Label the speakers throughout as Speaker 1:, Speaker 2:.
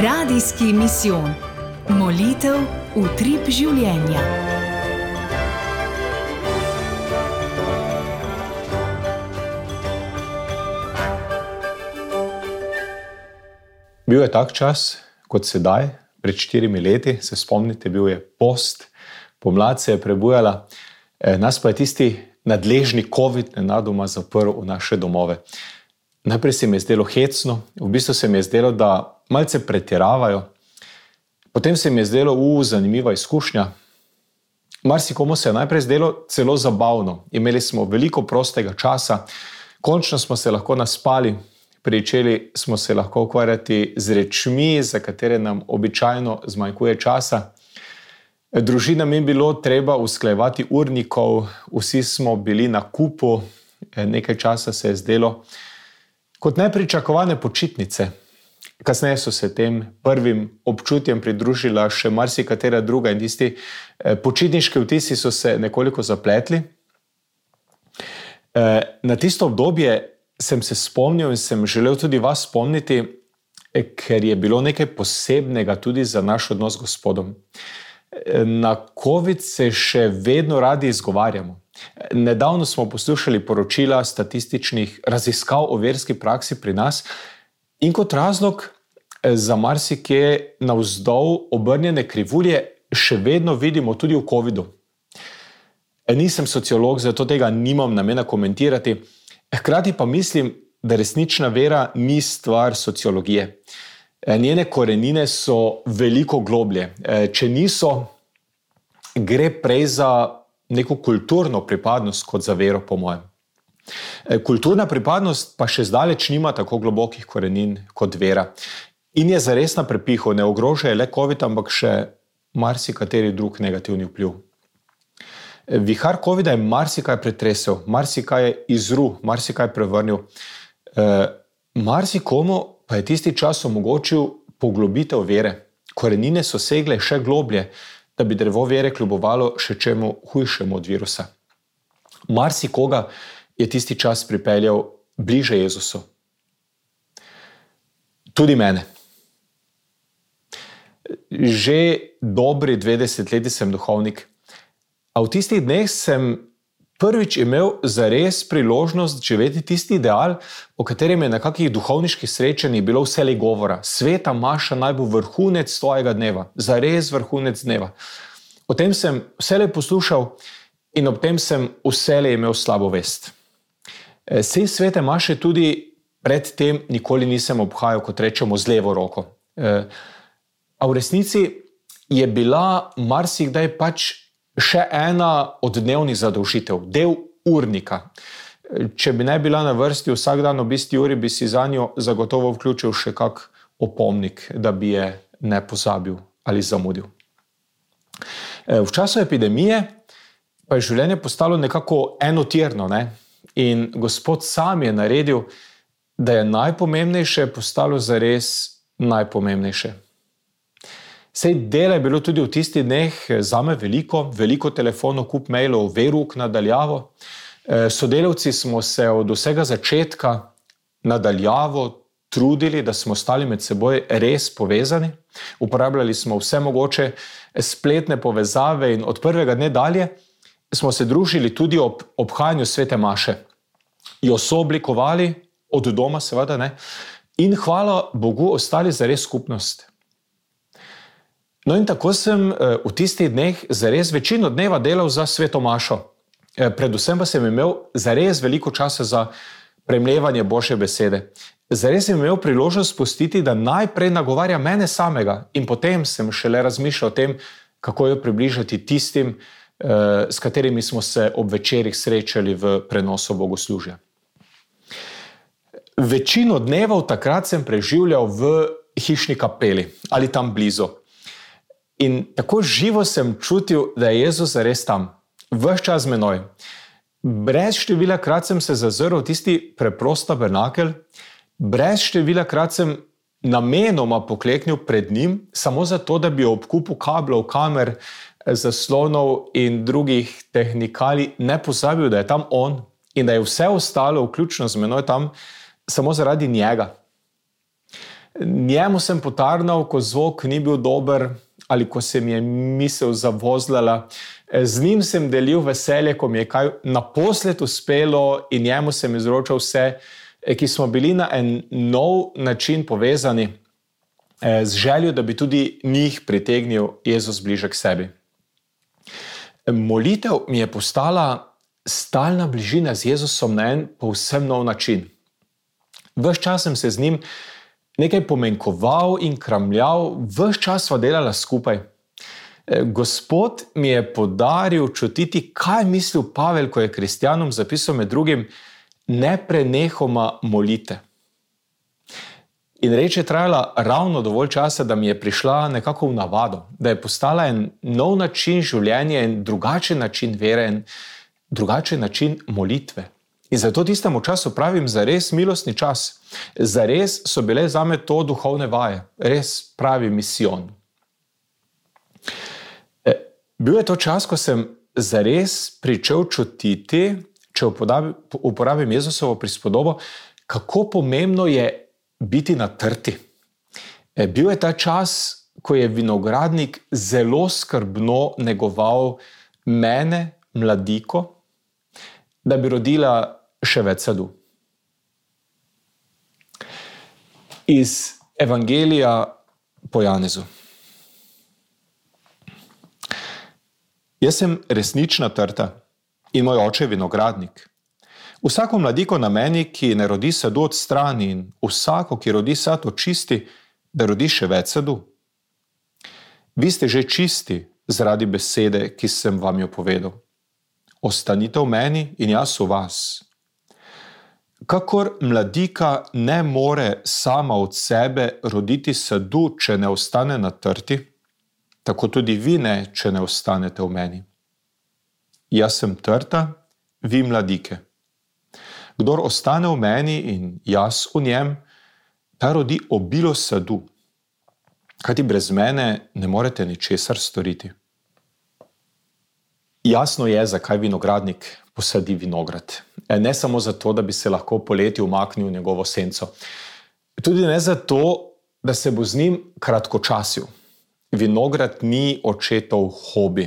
Speaker 1: Radijski misijon. Molitev utrip življenja.
Speaker 2: Bil je tak čas, kot sedaj, pred 4 leti, se spomnite, bil je post, pomlad se je prebujala, nas pa je tisti nadležni COVID nenadoma zaprl v naše domove. Najprej se mi je zdelo hecno, v bistvu se mi je zdelo, da malce pretiravajo. Potem se mi je zdelo, zanimiva izkušnja. Marsikomu se je najprej zdelo celo zabavno. Imeli smo veliko prostega časa, končno smo se lahko naspali, pričeli smo se lahko ukvarjati z rečmi, za katere nam običajno zmanjkuje časa. Družinam je bilo treba usklajevati urnikov, vsi smo bili na kupu, nekaj časa se je zdelo kot nepričakovane počitnice. Kasneje so se tem prvim občutjem pridružila še marsikatera druga in tisti počitniški vtisi so se nekoliko zapletli. Na tisto obdobje sem se spomnil in sem želel tudi vas spomniti, ker je bilo nekaj posebnega tudi za naš odnos z Gospodom. Na COVID se še vedno radi izgovarjamo. Nedavno smo poslušali poročila statističnih raziskav o verski praksi pri nas in kot razlog za marsikje navzdol obrnjene krivulje še vedno vidimo tudi v COVIDu. Nisem sociolog, zato tega nimam namena komentirati. Hkrati pa mislim, da resnična vera ni stvar sociologije. Njene korenine so veliko globlje. Če niso, gre prej za neko kulturno pripadnost kot za vero, po mojem. Kulturna pripadnost pa še zdaleč nima tako globokih korenin kot vera. In je zares na prepihu, ne ogroža le COVID, ampak še marsikateri drug negativni vpliv. Vihar COVID-a je marsikaj pretresel, marsikaj je izru, marsikaj prevrnil. Marsikomu pa je tisti čas omogočil poglobitev vere. Korenine so segle še globlje, da bi drevo vere kljubovalo še čemu hujšemu od virusa. Marsikoga je tisti čas pripeljal bliže Jezusu. Tudi mene. Že dobri 20 leti sem duhovnik, a v tistih dneh sem prvič imel zares priložnost živeti tisti ideal, o katerem je na kakih duhovniških srečanjih bilo vselej govora. Sveta maša naj bo vrhunec tvojega dneva, zares vrhunec dneva. O tem sem vselej poslušal in ob tem sem vselej imel slabo vest. Sej svete maše tudi pred tem nikoli nisem obhajal, kot rečemo, z levo roko. A v resnici je bila marsikdaj pač še ena od dnevnih zadolžitev, del urnika. Če bi ne bila na vrsti vsak dan ob isti uri, bi si zanjo zagotovo vključil še kak opomnik, da bi je ne pozabil ali zamudil. V času epidemije pa je življenje postalo nekako enotirno, ne? In Gospod sam je naredil, da je najpomembnejše postalo zares najpomembnejše. Sej dela je bilo tudi v tistih dneh zame veliko telefonov, kup mailov, veruk nadaljavo. Sodelavci smo se od vsega začetka nadaljavo trudili, da smo stali med seboj res povezani. Uporabljali smo vse mogoče spletne povezave in od prvega dne dalje smo se družili tudi ob obhajanju svete maše. Jo sooblikovali, od doma seveda, ne? In hvala Bogu ostali zares skupnost. No in tako sem v tistih dneh zares večino dneva delal za sveto mašo. Predvsem pa sem imel zares veliko časa za premljevanje Božje besede. Zares sem imel priložnost spustiti, da najprej nagovarja mene samega in potem sem šele razmišljal o tem, kako jo približati tistim, s katerimi smo se ob večerih srečali v prenosu bogoslužja. Večino dnevov takrat sem preživljal v hišni kapeli ali tam blizu. In tako živo sem čutil, da je Jezus zares tam, ves čas z menoj. Brez števila krat sem se zazrl v tisti preprost tabernakel, brez števila krat sem namenoma pokleknil pred njim, samo zato, da bi ob kupu kablov, kamer, zaslonov in drugih tehnikali ne pozabil, da je tam on in da je vse ostalo, vključno z menoj tam, samo zaradi njega. Njemu sem potarnal, ko zvok ni bil dober ali ko se mi je misel zavozlala. Z njim sem delil veselje, ko mi je kaj naposled uspelo in njemu sem izročal vse, ki smo bili na en nov način povezani z željo, da bi tudi njih pritegnil Jezus bliže k sebi. Molitev mi je postala stalna bližina z Jezusom na en povsem nov način. Ves čas sem se z njim nekaj pomenkoval in kramljal, ves čas sva delala skupaj. Gospod mi je podaril čutiti, kaj je mislil Pavel, ko je kristjanom zapisal med drugim: neprenehoma molite. In reč je trajala ravno dovolj časa, da mi je prišla nekako v navado, da je postala en nov način življenja, en drugačen način vere, en drugačen način molitve. In zato tistemu času pravim zares milostni čas. Zares so bile zame to duhovne vaje, res pravi misijon. Bil je to čas, ko sem zares pričel čutiti, če uporabim Jezusovo prispodobo, kako pomembno je biti na trti. Bil je ta čas, ko je vinogradnik zelo skrbno negoval mene, mladiko, da bi rodila še več sadu. Iz Evangelija po Janezu. Jaz sem resnična trta in moj oče je vinogradnik. Vsako mladiko na meni, ki ne rodi sadu, odstrani, in vsako, ki rodi sad, očisti, da rodi še več sadu. Vi ste že čisti zaradi besede, ki sem vam jo povedal. Ostanite v meni in jaz v vas. Kakor mladika ne more sama od sebe roditi sadu, če ne ostane na trti, tako tudi vi ne, če ne ostanete v meni. Jaz sem trta, vi mladike. Kdor ostane v meni in jaz v njem, ta rodi obilo sadu, kajti brez mene ne morete ničesar storiti. Jasno je, zakaj vinogradnik posadi vinograd. Ne samo zato, da bi se lahko poleti umaknil v njegovo senco. Tudi ne zato, da se bo z njim kratkočasil. Vinograd ni očetov hobi.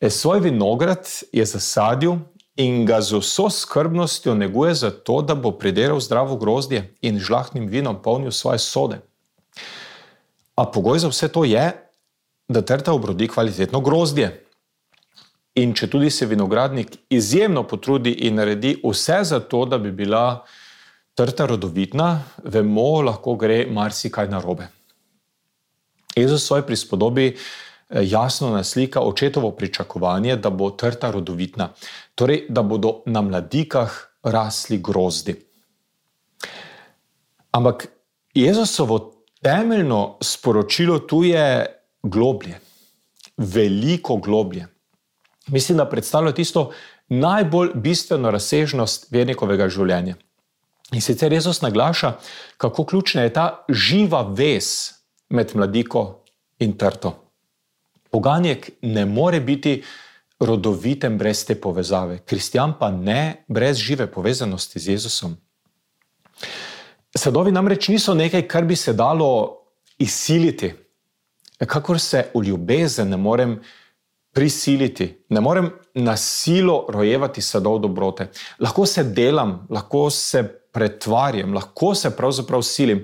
Speaker 2: Svoj vinograd je zasadil in ga z vso skrbnostjo neguje zato, da bo pridelal zdravo grozdje in žlahtnim vinom polnil svoje sode. A pogoj za vse to je, da trta obrodi kvalitetno grozdje. In če tudi se vinogradnik izjemno potrudi in naredi vse za to, da bi bila trta rodovitna, vemo, lahko gre marsikaj narobe. Jezus v svoji prispodobi jasno naslika očetovo pričakovanje, da bo trta rodovitna, torej da bodo na mladikah rasli grozdi. Ampak Jezusovo temeljno sporočilo tu je globlje, veliko globlje. Mislim, da predstavlja tisto najbolj bistveno razsežnost vernikovega življenja. In sicer Jezus naglaša, kako ključna je ta živa vez med mladiko in trto. Poganjek ne more biti rodoviten brez te povezave, kristjan pa ne brez žive povezanosti z Jezusom. Sadovi namreč niso nekaj, kar bi se dalo izsiliti, kakor se v ljubezen ne morem prisiliti, ne morem na silo rojevati sadov dobrote. Lahko se delam, lahko se pretvarjam, lahko se pravzaprav silim,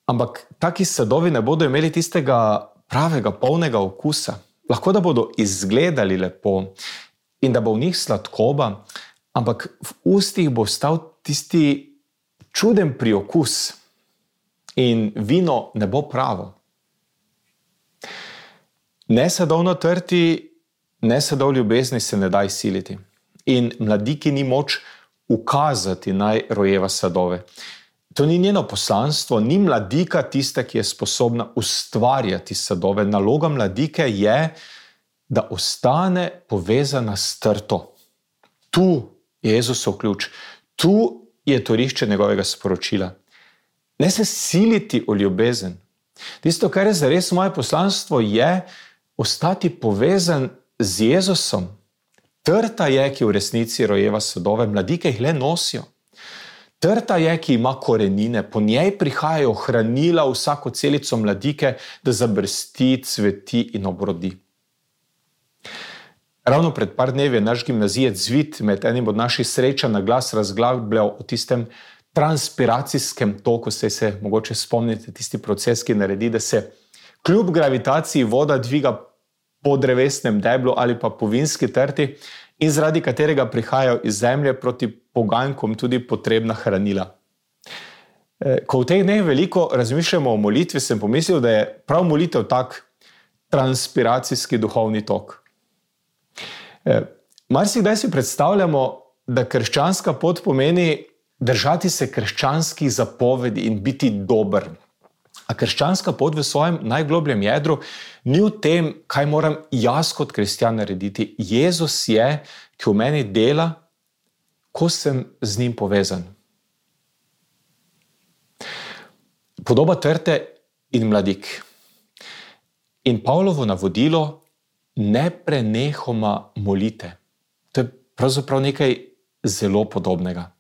Speaker 2: ampak taki sadovi ne bodo imeli tistega pravega, polnega okusa. Lahko da bodo izgledali lepo in da bo v njih sladkoba, ampak v ustih bo ostal tisti čuden priokus in vino ne bo pravo. Ne sadov na trti, ne sadov ljubezni se ne da izsiliti. In mladiki ni moč ukazati naj rojeva sadove. To ni njeno poslanstvo, ni mladika tista, ki je sposobna ustvarjati sadove. Naloga mladike je, da ostane povezana s trto. Tu je Jezusov ključ, tu je torišče njegovega sporočila. Ne se siliti v ljubezen. Tisto, kar je zares moje poslanstvo, je ostati povezan z Jezusom. Trta je, ki v resnici rojeva sadove, mladike jih le nosijo. Trta je, ki ima korenine, po njej prihajajo hranila vsako celico mladike, da zabrsti, cveti in obrodi. Ravno pred par dnevi je naš gimnazijec Zvit med enim od naših srečanj na glas razglabljal o tistem transpiracijskem toku, se mogoče spomnite tisti proces, ki naredi, da se kljub gravitaciji voda dviga po drevesnem deblu ali pa po vinski trti in zaradi katerega prihajajo iz zemlje proti poganjkom tudi potrebna hranila. Ko v teh dneh veliko razmišljamo o molitvi, sem pomislil, da je prav molitev tak transpiracijski duhovni tok. Marsikdaj si predstavljamo, da krščanska pot pomeni držati se krščanskih zapovedi in biti dober. A krščanska pot v svojem najglobljem jedru ni v tem, kaj moram jaz kot kristjan narediti. Jezus je, ki v meni dela, ko sem z njim povezan. Podoba trte in mladik. In Pavlovo navodilo ne prenehoma molite. To je pravzaprav nekaj zelo podobnega.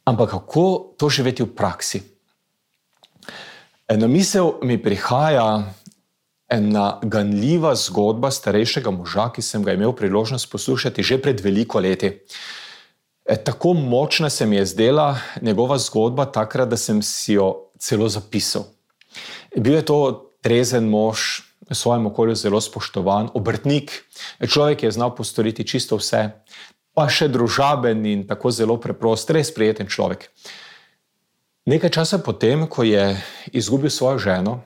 Speaker 2: Ampak kako to živeti v praksi? Na misel mi prihaja ena ganljiva zgodba starejšega moža, ki sem ga imel priložnost poslušati že pred veliko leti. Tako močna se mi je zdela njegova zgodba takrat, da sem si jo celo zapisal. Bil je to trezen mož, v svojem okolju zelo spoštovan, obrtnik, človek je znal postoriti čisto vse, pa še družaben in tako zelo preprost, res prijeten človek. Nekaj časa potem, ko je izgubil svojo ženo,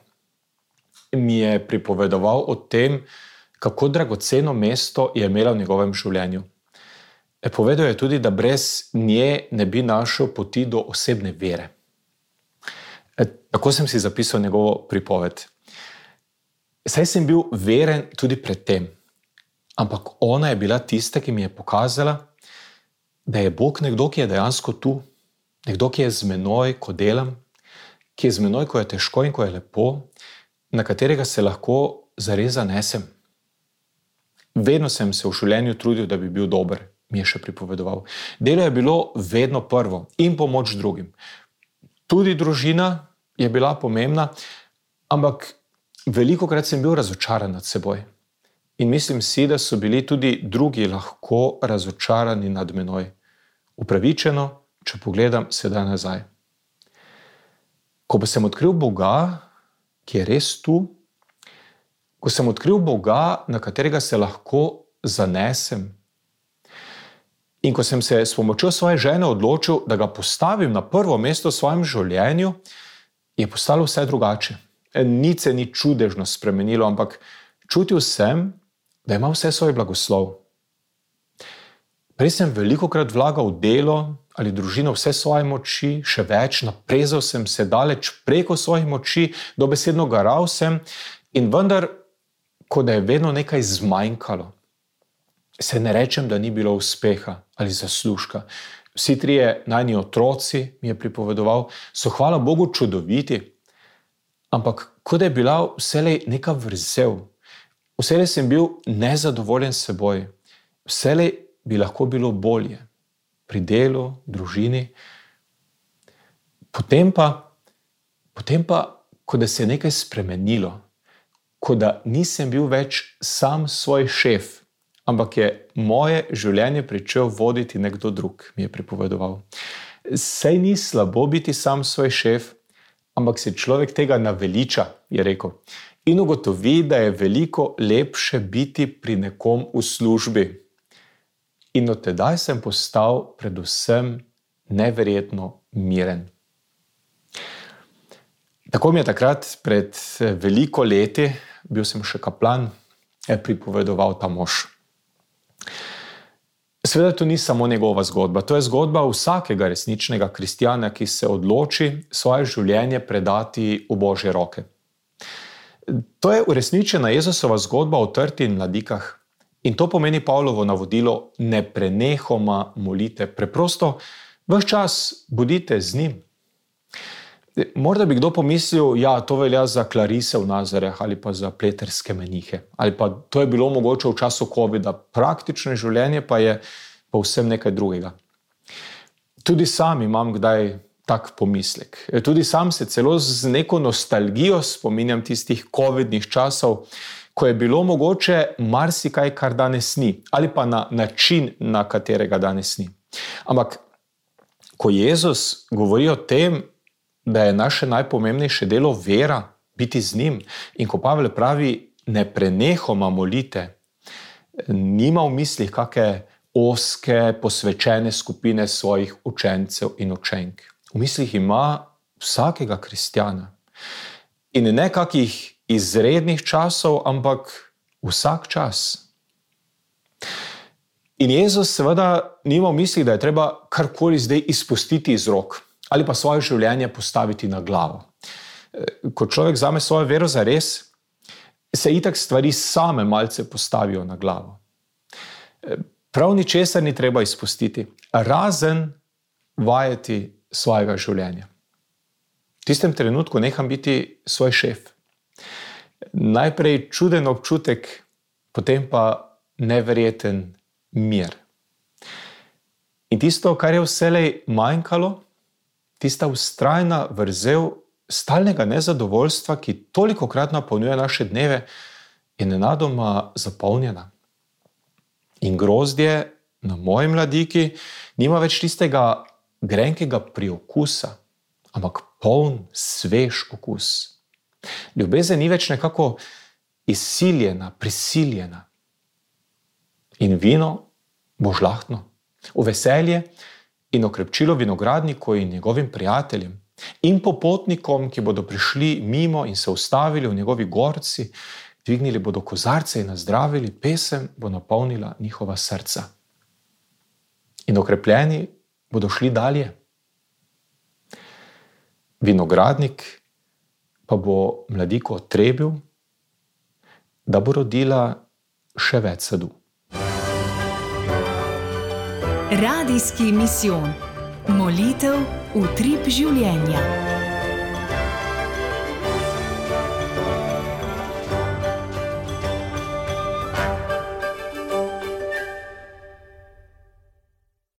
Speaker 2: mi je pripovedoval o tem, kako dragoceno mesto je imela v njegovem življenju. Povedal je tudi, da brez nje ne bi našel poti do osebne vere. Tako sem si zapisal njegovo pripoved. Saj sem bil veren tudi pred tem, ampak ona je bila tista, ki mi je pokazala, da je Bog nekdo, ki je dejansko tu, nekdo, ki je z menoj, ko delam, ki je z menoj, ko je težko in ko je lepo, na katerega se lahko zares zanesem. Vedno sem se v življenju trudil, da bi bil dober, mi je še pripovedoval. Delo je bilo vedno prvo in pomoč drugim. Tudi družina je bila pomembna, ampak velikokrat sem bil razočaran nad seboj. In mislim si, da so bili tudi drugi lahko razočarani nad menoj. Upravičeno, če pogledam sedaj nazaj. Ko pa sem odkril Boga, ki je res tu, ko sem odkril Boga, na katerega se lahko zanesem, in ko sem se s pomočjo svoje žene odločil, da ga postavim na prvo mesto v svojem življenju, je postalo vse drugače. Nič se ni čudežno spremenilo, ampak čutil sem, da ima vse svoj blagoslov. Prej sem velikokrat vlagal v delo ali družino vse svoje moči, še več, naprezal sem se daleč preko svojih moči, dobesedno garal sem in vendar, ko da je vedno nekaj zmanjkalo. Se ne rečem, da ni bilo uspeha ali zaslužka. Vsi trije najni otroci, mi je pripovedoval, so hvala Bogu čudoviti, ampak kot da je bila vselej neka vrzel. Vselej sem bil nezadovoljen s seboj. Vselej bi lahko bilo bolje. Pri delu, družini. Potem pa, kot da se je nekaj spremenilo. Kot da nisem bil več sam svoj šef, ampak je moje življenje pričel voditi nekdo drug, mi je pripovedoval. Saj ni slabo biti sam svoj šef, ampak se človek tega naveliča, je rekel. In ugotovi, da je veliko lepše biti pri nekom v službi. In od tedaj sem postal predvsem neverjetno miren. Tako mi je takrat pred veliko leti, bil sem še kaplan, pripovedoval ta mož. Seveda to ni samo njegova zgodba, to je zgodba vsakega resničnega kristjana, ki se odloči svoje življenje predati v Božje roke. To je uresničena Jezusova zgodba o trti in mladikah. In to pomeni Pavlovo navodilo: ne prenehoma molite. Preprosto ves čas bodite z njim. Morda bi kdo pomislil, ja, to velja za klarise v Nazareh ali pa za pleterske menihe. Ali pa to je bilo mogoče v času covida. Praktično življenje pa je povsem nekaj drugega. Tudi sam imam kdaj tak pomislek. Tudi sam se celo z neko nostalgijo spominjam tistih covidnih časov, ko je bilo mogoče marsikaj, kar danes ni, ali pa na način, na katerega danes ni. Ampak, ko Jezus govori o tem, da je naše najpomembnejše delo vera, biti z njim, in ko Pavel pravi, ne prenehoma molite, nima v mislih kakšne ozke, posvečene skupine svojih učencev in učenk. V mislih ima vsakega kristjana. In ne kakih izrednih časov, ampak vsak čas. In Jezus seveda nima v mislih, da je treba karkoli zdaj izpustiti iz rok ali pa svoje življenje postaviti na glavo. Ko človek vzame svojo vero zares, se itak stvari same malce postavijo na glavo. Prav ničesar ni treba izpustiti, razen vajeti svojega življenja. V tistem trenutku neham biti svoj šef. Najprej čuden občutek, potem pa neverjeten mir. In tisto, kar je vselej manjkalo, tista vztrajna vrzel stalnega nezadovoljstva, ki tolikokrat napolnjuje naše dneve, je nenadoma zapolnjena. In grozdje na moji mladiki nima več tistega grenkega priokusa, ampak poln, svež okus. Ljubezen ni več nekako izsiljena, prisiljena. In vino bo žlahtno, v veselje in okrepčilo vinogradniku in njegovim prijateljem in popotnikom, ki bodo prišli mimo in se ustavili v njegovi gorci, dvignili bodo kozarce in nazdravili, pesem bo napolnila njihova srca. In okrepljeni bodo šli dalje. Vinogradnik pa bo mladiko trebil, da bo rodila še več sadu.
Speaker 1: Radijski misijon. Molitev utrip življenja.